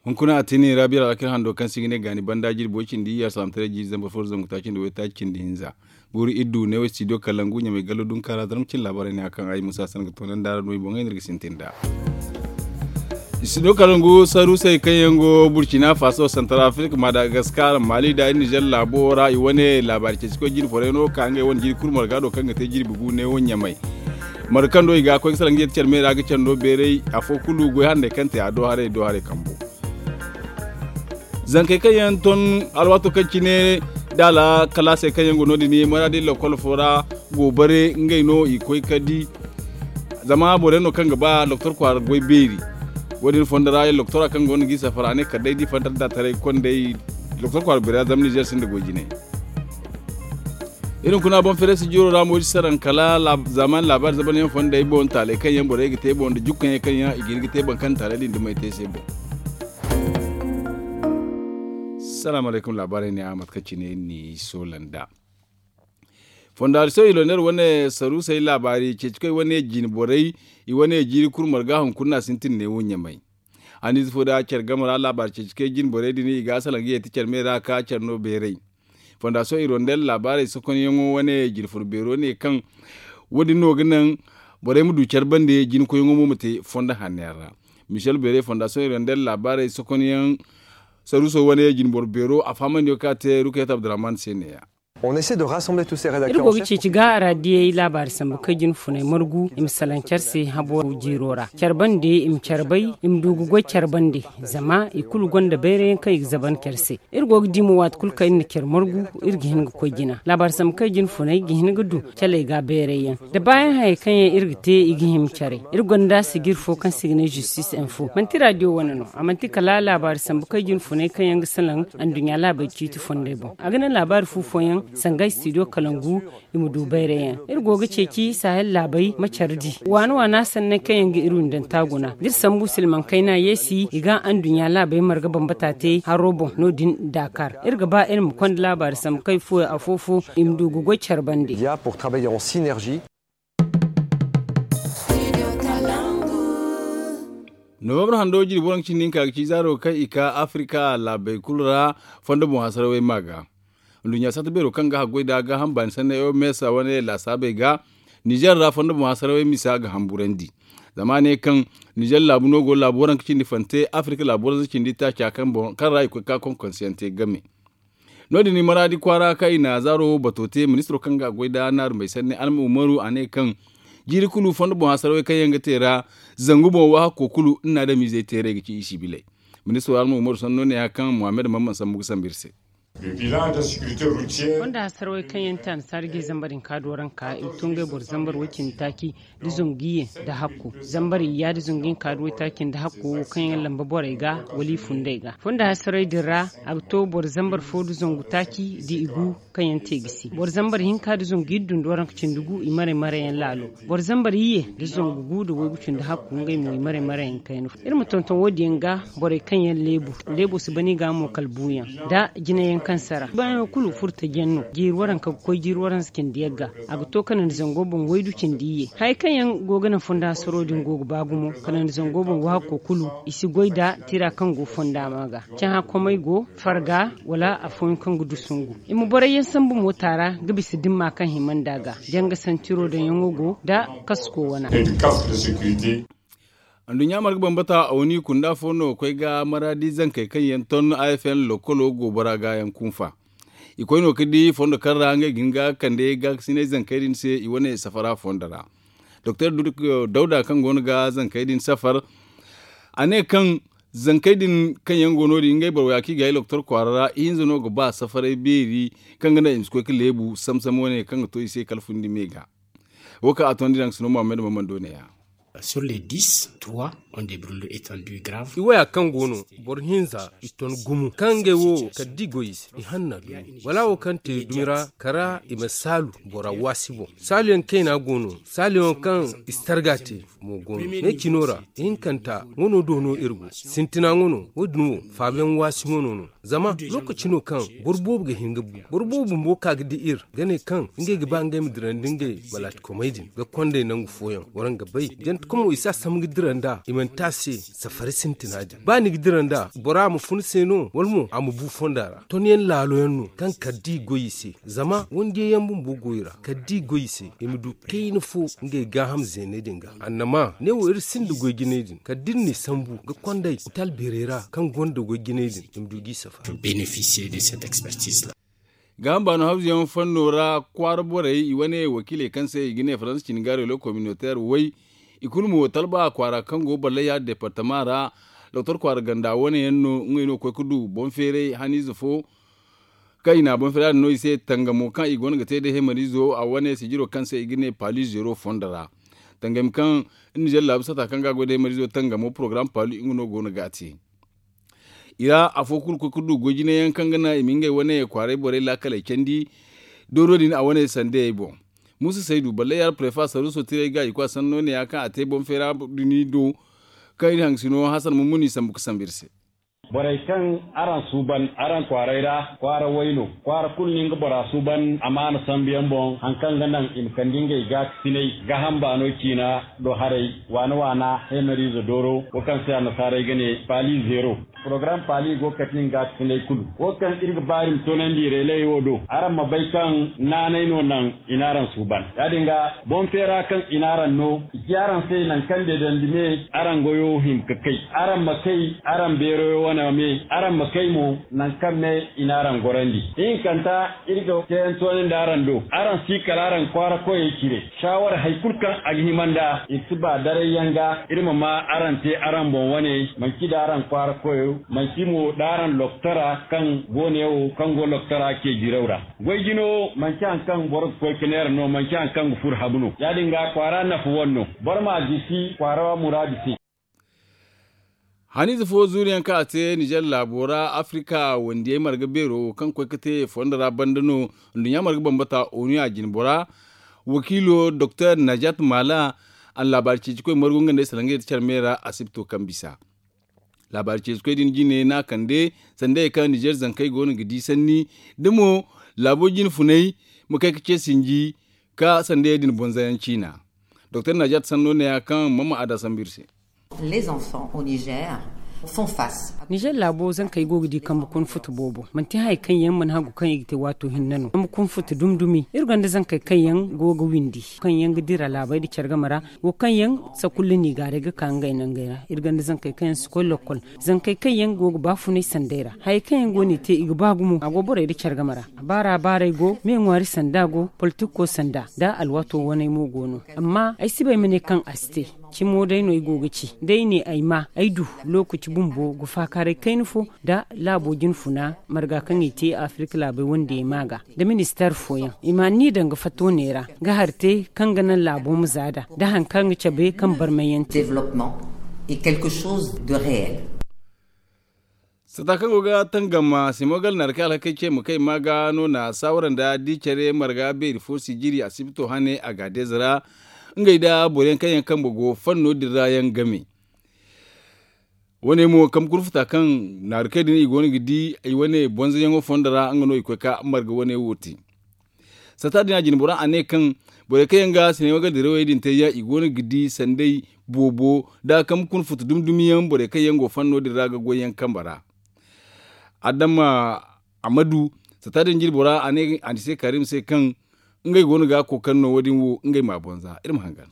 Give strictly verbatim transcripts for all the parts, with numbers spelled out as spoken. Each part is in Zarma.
Hunkuna a tini rabiya alakir hando kaŋ se i ga ne gaani banda jirbi way cindi iyya salaamataray jiiri zambar fo da zangu taaci nda waytaaci cindi hinza. Guuru iddu ne way studio kalangu ɲamay gallo dunkaara zarma cin laabaarey ne a kaŋ ay musa san ga toonandi a ra no i boŋey no iri ga sintin nd'a. Studio kalangu saruusey kaŋ yaŋ go burcina faso santaral afirik madagaskar maali nda nizer laabo ra i wane laabaari ceeci koy jine forey no ka ngey wane jiiri kulu marga do kaŋ ga te jirbi gu ne wo ɲamay. Marga kaŋ do i ga koy ga salaŋ ga yeeti care me ra ga care no beeray afo kulu goy handay kaŋ te a do haray do haray kambo. Zankey kaŋ yaŋ ton alwaato kaŋ cine da alkalaasey kaŋ yaŋ go no- din maraadi lakkol fo ra go bare ngey no i koy ka di. Zama borey no kaŋ ga ba doktor kwaara goy beeri. Wo- din fondo ra doktora kaŋ go no ga i safara a ne kala day da i fantar da taray kondey doktor kwaara beeri ra zama nizer sinda goy jinay. Iri hunkuna boŋ fereesi jooro ra mo iri si saraŋ kala zaamaani laabaari zabanyaŋ fondey boŋ taaley kaŋ yaŋ borey ga te boŋ nda jukkaŋey kaŋ yaŋ i ga hin ga te baŋ kaŋ taaley din dumey te se boŋ. Salaamu alaykum laabaarey ne a mate kaŋ cine ni soola nd'a. Fondaasiyoŋ iloner wane saruusey laabaari ceeci koy wane jine borey i wane jiiri kulu marga hunkuna sintin ne wo ɲamay. Haniize fo da care game ra laabaari ceeci koy jine borey din i ga a salaŋ ga yeeti care me ra ka care no beeray. Fondaasiyoŋ irondel laabaarey sokonyaŋo wane jine furo beero ne kaŋ wo- din no ga naŋ borey ma du care bande jine koyyaŋo mo ma te fondo hanno yaŋ ra. Michel beere fondaasiyoŋ irondel laabaarey sokonyaŋ saruuso wane jine boro beero a fahamandiyo kaŋ a te rukayat abdurrahman se ne- ya. Iri go ga ceeci ga raadiyey laabaari sambu kay jine funay margu i ma salaŋ care se habo jiiro ra care bande i ma care bay i ma du ga goy care bande. Zama i kulu gonda bayray yaŋ kaŋ i ga zaban care se. Iri go ga di mo waati kulu kaŋ iri na care margu iri ga hin ga koy jina laabaari sambu kay jine funay ga hin ga du caley ga bayray yaŋ da baayaŋ hayey kaŋ yaŋ iri ga te i ga hima care. Iri gonda sijir fo kaŋ se i ga ne zistis info manti raadiyo wane no a manti kala laabaari sambu kay jine funay kaŋ yaŋ ga salaŋ anduɲɲa laabey ciiti fondey boŋ a ga naŋ laabaari fu fooyaŋ sanga istidiyo kalangu. I ma du bayray yaŋ iri go ga ceeci sahel laabey ma care di waana waana sanney kaŋ yaŋ ga iri windanta guna da iri sambu silmaŋ kayna yeesi i ga anduɲɲa laabey marga bambata te haro boŋ no- din daakar. Iri ga ba iri ma konda laabaari sambu kay fooyaŋ afo fo i ma du ga goy care bande. Nowambar hando jirbi waranka cindi hinka ga ci zaaro kaŋ i ka afirika laabey kulu ra fondo boŋ hasarawey ma ga. Nduɲɲa satta beero kaŋ ga haggoy nda gaaham baani sanney o meesa wane laasaabey ga nizer ra fondo boŋ hasarawey misa ga hamburandi. Zama a ne kaŋ nizer laabu no go laabu waranka cindi fante afirika laabu waranka cindi taaca kaŋ ra i koy ga ka konkonsiyaŋ te game. No- din i maraadi kwaara kaŋ i na zaaro wo bato te ministiro kaŋ ga a goy nda naaru may sanni alma umaru a ne kaŋ jiiri kulu fondo boŋ hasarawey kaŋ yaŋ ga te ra zangu boŋ waahakko kulu nda adamizey teeray ga ci i sibiley. Ministiro alma umaru sanno ne ya kaŋ muhammad mamman sambu ga sambu iri se. Fondo hasarawey kaŋ yaŋ te annasaara ga i zambar hinka do ranka i to ngey boro zambar way cindi taaci nda zangu iyye nda hakku zambar iyya nda zangu hinka nda waytaaci nda hakku wo kaŋ yaŋ lamba borey ga wala i fundey ga fondo hasaray din ra. A ga to boro zambar fo nda zangu taaci nda i gu kaŋ yaŋ te gisi boro zambar hinka nda zangu iddu nda waranka cindi gu i maray maray yaŋ laalo. Boro zambar iyye nda zangu gu nda waygu cindi hakku ngey mo i maray maray yaŋ kayna fo iri ma tonton wo- din yaŋ ga. Borey kaŋ yaŋ leebo leebo si ban i ga mo kala buuyaŋ nda jinayaŋ kaŋ sara baayaŋo kulu furtajiyaŋ no jiiri waranka ga koy jiiri waransa cindi yagga. A ga to kanandi zango boŋ waydu cindi iyye. Hayey kaŋ yaŋ go ga naŋ fonda hasaro din go ga ba gumo kanandi zango boŋ waahakko kulu i si goy nda tira kaŋ go fonda ma ga. Cahã komey go farga wala afooyaŋ kaŋ ga du sungu. I ma borey yaŋ sambu moota ra ga bisa dimma kaŋ hima nd'a ga janga santiro daŋyaŋo go nda kasko wana. Anduɲɲa marga bambata a wane i kunda fo no ga koy ga maraadi zankey kaŋ yaŋ ton a f n lokkolo go bora ga yaŋ kunfa. I koy no ga di fondo kaŋ ra ngey ga hin ga kande gaakasinay zankey din se i wane safara fondo ra. Doktor dawda kaŋ go no ga zankey din safar a ne kaŋ zankey din kaŋ yaŋ go no- din ngey boro way a kaŋ i ga hay doktor kwaara ra ihinza no ga ba safaray beeri kaŋ ga naŋ i ma si koy ga leebu samsam wane kaŋ ga to i se kala fundi me ga. Wo kaŋ a tondi daŋ ga sino muhammad mamman do ne ya. Sur les dix trois ont des brûlures étendues graves. I waya kaŋ go no boro hinza i ton gumo kaŋ ngey wo kala da i goy i se i hanna dumi wala wo kaŋ te dumi ra kala i ma saalu bora waasi boŋ. Saaluyaŋ kayna go no saaluyaŋ kaŋ i si targa te mo go no ne cino ra ihinkanta wano do no iri go sintina wano wo- din wo faabayaŋ waasi wano no. Zama lookaci no kaŋ boro boobo ga hin ga bu boro boobo bumbo ka ga di iri ga ne kaŋ ngey ga ba ngey ma dirandi ngey balaatikomey din ga kondey nangu fooyaŋ waraŋ ga bay jante. Kuma i si a sambu ga dira nd'a i mana te a se. Safari sintina din ba ni ga dira nd'a bora ma fun se no wala mo a ma bu fonda ra ton yaŋ laalo yaŋ no kaŋ kala da i goy i se. Zama wandiyaŋ yaŋ bumbo goy ra kala da i goy i se i ma du kayna fo ngey gaaham zeeney din ga. Annama ne wo iri sinda goy jinay din kala da iri n'i sambu ga konday otal beerey ra kaŋ gonda goy jinay din i ma du g'i safari. Bénéficier de cette expertise là. Gaaham baano hawzuyaŋ fanno ra kwaara borey i wane wakiiley kaŋ se i ga ne faransa cini gaarey lo communautaire way. I kulu mo talba kwaara kaŋ go ballaya departama ra. Doktor kwaara ganda wane yaŋ no ngey no ga koy ga du boŋ feeray haniize fo. Kaŋ i na boŋ feeray din no i se tangamo kaŋ i go no ga te day heemariizo a wane sijiro kaŋ se i ga ne paali zero fondo ra. Tangami kaŋ nizer laabu sata kaŋ ga a goy day heemariizo tangamo porogaram paali nga no go no ga a te. I ra afo kulu ga koy ga du goy jine yaŋ kaŋ ga naŋ i ma ngey wane kwaaray borey laakaley candi. Dooro din a wane sandayey boŋ. Muusa saydu balle yaara parefa saruuso tiray ga i koy a sanno ne ya kaŋ a te boŋ feera duni do. Kaŋ iri hangasino hasan mummuni sambu ga sambu iri se. Borey kaŋ araŋ suuban araŋ kwaaray ra kwaara way no. Kwaara kulu no nga bora suuban amaana sambu yaŋ boŋ hari kaŋ ga naŋ i ma kande ngey gaakasinay gaaham baano ciina do haray waana waana heemariize dooro wo kaŋ se annasaarey ga ne paali zeero. Porogaram paali go ga kati nga gaakasinay kulu wo kaŋ iri ga ba iri ma toonandi reeley wo do araŋ ma bay kaŋ naanay no naŋ i n'araŋ suuban ya- din ga boŋ feera kaŋ i n'araŋ no. I ci araŋ se nangu kaŋ deedandi me araŋ goyo hima ga kay. Araŋ ma kay araŋ beeroyo wane me araŋ ma kay mo nangu kaŋ me i n'araŋ gorandi ihinkanta. Iri ga teeyaŋ toonandi araŋ do araŋ si kala araŋ kwaara koyey cire. Saawara hari kulu kaŋ a ga hima nd'a iri si ba daray yaŋ ga iri ma ma araŋ te araŋ boŋ wane manci nda araŋ kwaara koyo manci mo nda araŋ loktora kaŋ go ne wo kaŋ go loktora ceejiraw ra. Goy jino manci hari kaŋ boro ga koy ga neera no manci hari kaŋ ga furo habu no ya- din ga kwaara nafa wane no. Boro m'a gisi kwaara muraadu se. Haniize fo zuuriyaŋ kaŋ a te nizer laabo ra afirika wandiyey marga beero kaŋ ga koy ga te fondo ra banda no. Nduɲɲa marga bambata onu ya jinbora wakiilo doktor najat mala. A na laabaari ceecikoy margu nga nda ay salaŋ ga yadda care me ra asibto kaŋ bisa. Laabaari ceecikoy din jine no a kande sandayey kaŋ nizer zankey go no ga di sanni da mo laabo jine funay ma kay ga ce sinji ka sandayey din bonzayaŋ ciina. Doktor najat sanno ne ya kaŋ mama a da sambu iri se. Nizer laabo zankey go ga di kambe kuna futu boobo manti hayey kaŋ yaŋ mana hagu kaŋ i ga te waato hinne no kambe kuna futu dumi dumi iri gonda zankey kaŋ yaŋ go ga windi kaŋ yaŋ ga dira laabey nda care game ra. Wo kaŋ yaŋ sakulla no i gaaray ga ka ngey nangey ra iri gonda zankey kaŋ yaŋ si koy lokkol. Zankey kaŋ yaŋ go ga baafunay sandey ra hayey kaŋ yaŋ go no i te i ga ba gumo a go borey nda care game ra. Baara baaray go me ŋwaari sanda go politikko sanda nda alwaato waney mo go no. Amma ay si bay ma ne kaŋ a si te. Cimo day no ay go ga ci da ay ne ay ma ay du lookaci bumbo ga faakaaray kayna fo nda laabo jinfuna marga kaŋ i te afirika laabey wandiyey ma ga nda ministeer fooyaŋ i ma anniya daŋ ga fatta wane ra ga hari te kaŋ ga naŋ laabo ma zaada nda hari kaŋ ga cabe kaŋ barmayyaŋ te. Sata kaŋ go ga tangam simogal naari kaŋ alhakey ce ma kay ma ga no na saawara nda di care marga beeri fo sijiri asibito hane a ga deeza ra. Ngey nda boro yaŋ kaŋ yaŋ kambe go fanno din ra yaŋ game. Wane mo kambe kurfuta kaŋ naari kay din i go no ga di i wane bonzoyaŋo fondo ra nga no i koy ka marga wane wo te. Sata din a jine bora a ne kaŋ borey kaŋ yaŋ ga sinema ga dirawey din te yaŋ i go no ga di sanday boobo nda kambe kuna futu dumi dumi yaŋ borey kaŋ yaŋ go fanno din ra ga goy yaŋ kambe ra. Adama amadu sata din jine bora a ne a ni se karim se kaŋ ngey go no ga kookari no wo- din wo ngey ma bonza iri ma hangan.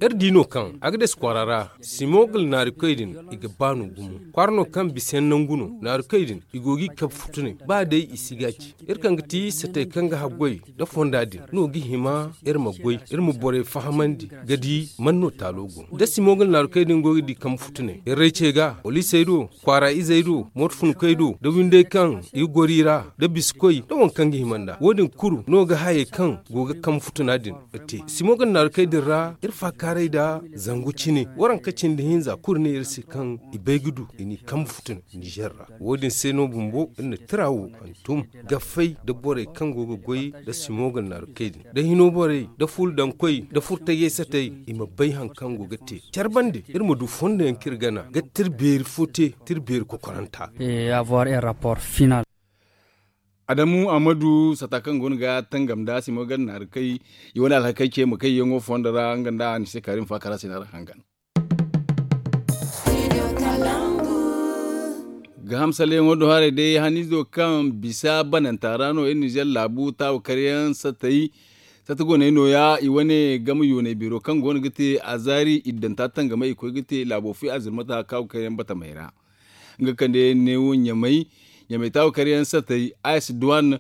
Iri di no kaŋ agades kwaara ra simogal naarikoy din i ga baanu gumo kwaara no kaŋ bisa yaŋ nangu no naarikoy din i go ga i kabe futunay ba day i si ga ci. Iri kaŋ ga ti satey kaŋ ga haggoy nda fonda din no ga hima iri ma goy iri ma borey fahamandi ga di man no taalo go nda simogal naarikoy din go ga di kaŋ futunay iri ray ce ga wala i say do kwaara izey do mooto funkoy do nda windey kaŋ i ga goro i ra nda bisikoy nda waŋ kaŋ ga hima nd'a wo- din kulu no ga hayey kaŋ go ga kaŋ futuna din. Ga te simo ga naaru kay din ra iri faakaaray nda zangu cine waranka cindi hinza kulu ne iri se kaŋ i bay ga du i n'i kambe futuna nizer ra. Wo- din se no bumbo iri na tira wo hantum ga fay nda borey kaŋ go ga goy nda simo ga naaru kay din nda hino borey nda ful daŋ koy nda furtayey satay i ma bay hari kaŋ go ga te care bande iri ma du fondo yaŋ kaŋ iri gana ga tira beeri fo te tira beeri kokoranta. Avoir un rapport final. Adamu ahmadu sata kaŋ go no ga tangam nda simo gar naari kay i wane alhakey ce ma kay yaŋo fondo ra nga nda a ni se kaari ma faakara se naari hangan. Gaaham salleyaŋo do haray day haniizo kaŋ bisa bananta ra no iri nizer laabu taawa karyaŋ satey sata goney nooya i wane game yooney beero kaŋ go no ga te azaari iddanta tangamay i koy ga te laabo fo i azirmata kaawa karyaŋ batamey ra. Nga kande neewo ɲamay ɲamay taawa karyaŋ satey a s duwan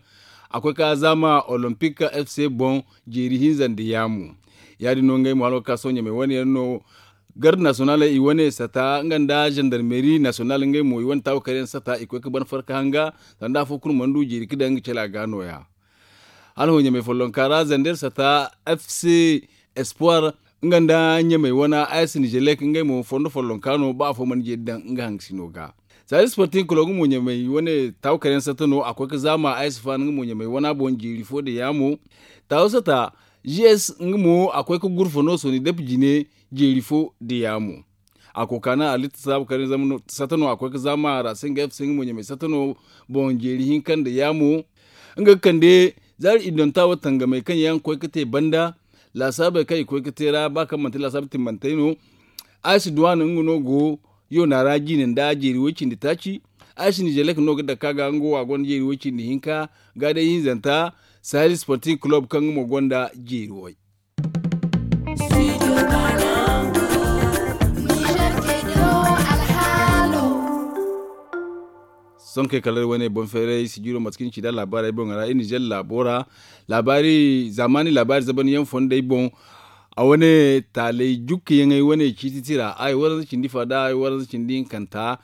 a koy ka zaama olympic fc boŋ jeeri hinza nda yaamu. Ya- din no ngey mo hala ga ka sohõ ɲamay wane yaŋ no garde nasiyonal i wane sata nga nda zandarmeri nasiyonal ngey mo i wane taawa karyaŋ sata i koy ga ban farka hanga sanda afo kulu mana du jeeri ga daŋ nga cala ga nooya. Hala hõ ɲamay follonka ra zander sata fc espoir nga nda ɲamay wana a s nizelek ngey mo fondo follonka no ba afo mana jeeri daŋ nga hangasino ga. Saalis sporting kulo nga mo ɲamay wane taawa karyaŋ sata no a koy ga zaama a s fan nga mo ɲamay wana boŋ jeeri fo da yaamo. Taawa sata gs nga mo a koy ga gurfa no sooni dap jine jeeri fo da yaamo. A kokaana alitta saabu kar ni zama sata no a koy ga zaama a ra se nga f se nga mo ɲamay sata no boŋ jeeri hinka nda yaamo. Nga ga kande zaari iddonta wo tangamey kaŋ yaŋ ga koy ga te banda laasaabey kaŋ i koy ga te ra ba kaŋ manti laasaabu timmantey no. Aysi duwaana nga no go yoona ra jiine nda jeeri way- cindi taaci. Aysi nizelek no ga dake a ga nga wo a gonda jeeri way- cindi hinka ga day hinzanta sahel sporting club kaŋ nga mo gonda jeeri way. Sonkey kala iri wane boŋ feeray sijiro mate kaŋ iri ci nd'a laabaarey boŋ ra iri nizer laabo ra. Laabaari zaamaani laabaari zabanyaŋ fondey boŋ. A wane taaley jukkayaŋey wane ciiti tira ay waranza cindi fa nda ay waranza cindi hinkanta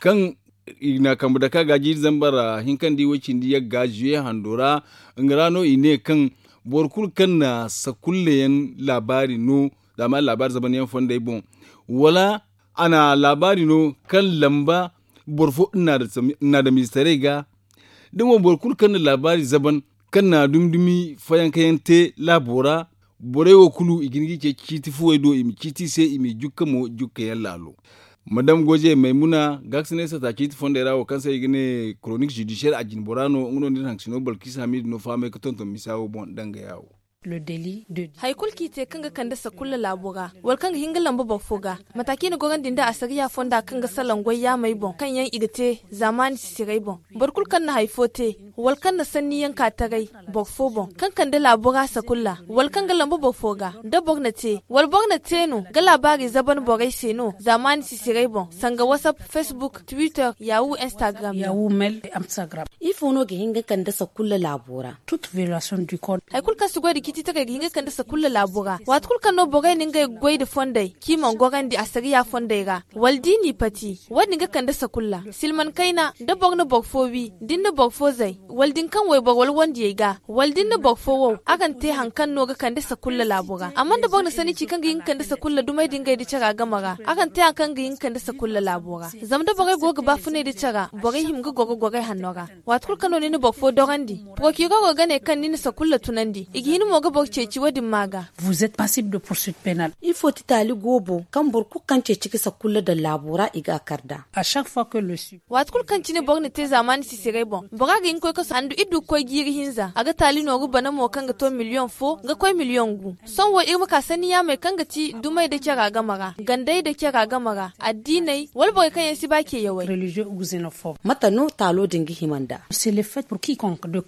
kaŋ i na kambe dake a ga jiiri zambar hinka nda i way- cindi yagga zuye hando ra. Nga ra no i ne kaŋ boro kulu kaŋ na sakullayaŋ laabaari no zaamaani laabaari zabanyaŋ fondey boŋ wala a na laabaari no kaŋ lamba boro fo nda adamistaray ga. Da mo boro kulu kaŋ na laabaari zaban kaŋ na dumi dumi fayankayaŋ te laabo ra borey wo kulu i ga hin ga i ceeci ciiti fuwey do i ma ciiti i se i m'i jukka mo jukkayaŋ laalo. Madam goze maymuna gaakasinay sata ciiti fondey ra wo kaŋ se i ga ne koronik zudisiyel a jine bora no nga no nda iri hankasino balkis hamidu no fahamay ga tonton misa wo boŋ dangaya wo. Hari kulu kaŋ i te kaŋ ga kande sakulla laabo ra wala kaŋ ga hin ga lamba boro fo ga mata kaŋ i na gorandi nda asariya fonda kaŋ ga salaŋ goy yaamey boŋ kaŋ yaŋ i ga te zaamaani sisirey boŋ. Boro kulu kaŋ na hari fo te wala kaŋ na sanniyaŋ ka taray boro fo boŋ kaŋ kande laabo ra sakulla wala kaŋ ga lamba boro fo ga da boro na te wala boro na te no ga laabaari zaban borey se no zaamaani sisirey boŋ sanga wasap, facebook, twitter, yahoo, instagram. Ifo no ga hin ga kande sakulla laabo ra? Hari kulu kaŋ si goy nda ciiti taray ga hin ga kande sakulla laabo ra waati kulu kaŋ no borey na ngey goy nda fondey kaŋ i mana gorandi asariya fondey ra wala da i n'i pati wo- din ga kande sakulla silman kayna da boro na boro fo wi da ni na boro fo zay wala da ni kaŋ wayboro wala wandiyey ga wala da ni na boro fo wow araŋ te hari kaŋ no ga kande sakulla laabo ra amma da boro na sanni ci kaŋ ga hin ga kande sakulla dumey da ngey nda cara game ra araŋ te hari kaŋ ga hin ga kande sakulla laabo ra. Zama da borey go ga baafunay nda cara borey hima ga goro gorey hanno ra. Waati kulu kaŋ no ni na boro fo dorandi porokirero ga ne kaŋ ni na sakulla tunandi i ga hin mo ga boro ceeci wo- din ma ga. Ifo ti taali goobo kaŋ boro kulu kaŋ ceeci ga sakulla daŋ laabo ra i ga a kar nd'a? Waati kulu kaŋ cine boro na te zaamaani sisirey boŋ bora ga hin ga koy kasu handu iri du ga koy jiiri hinza a ga taali nooru bana mo kaŋ ga to miliyoŋ fo ga koy miliyoŋ gu. Sohõ wo iri ma ka sanni yaamey kaŋ ga ti dumey nda cara game ra gandey nda cara game ra addiiney wala borey kaŋ yaŋ si ba ceeyawey. Mate no taalo din ga hima nd'a?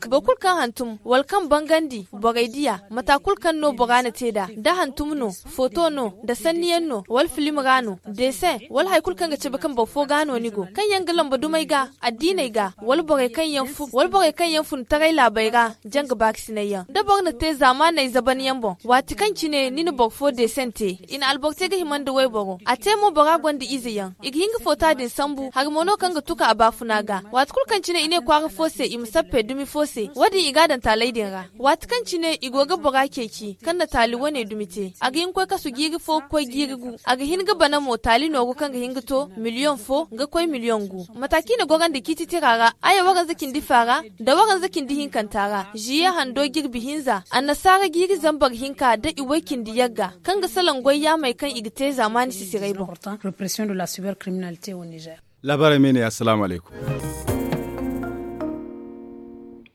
Boro kulu kaŋ hantum wala kaŋ bangandi borey diya mata kulu kaŋ no bora na te nd'a da hantum no, foto no, nda sanniyaŋ no wala filim ra no, desin wala hari kulu kaŋ ga cabe kaŋ boro fo ga no ni go kaŋ yaŋ ga lamba dumey ga addiiney ga wala borey kaŋ yaŋ fun taray laabey ra janga baakasinay yaŋ da boro na te zaamaaney zaban yaŋ boŋ waati kaŋ cine ni na boro fo desin te i na alboro te ga hima nda wayboro a te mo bora gonda ize yaŋ i ga hin ga foota din sambu hari mo no kaŋ ga tuka a baafuna ga. Waati kulu kaŋ cine i ne kwaara fo se i ma sappe dumi fo se wo- din i ga a daŋ taaley din ra. Waati kaŋ cine i go ga bora ceeci kaŋ na taali wane dumi te a ga hin ga koy kasu jiiri fo ga koy jiiri gu a ga hin ga bana mo taali nooru kaŋ ga hin ga to miliyoŋ fo ga koy miliyoŋ gu. Mata kaŋ i na gorandi ciiti tira ra aya waranza cindi fa ra nda waranza cindi hinkanta ra ziye hando jirbi hinza annasaara jiiri zambar hinka da i way cindi yagga kaŋ ga salaŋ goy yaamey kaŋ i ga te zaamaani sisirey boŋ. Laabaarey me ne assalaamu alaykum.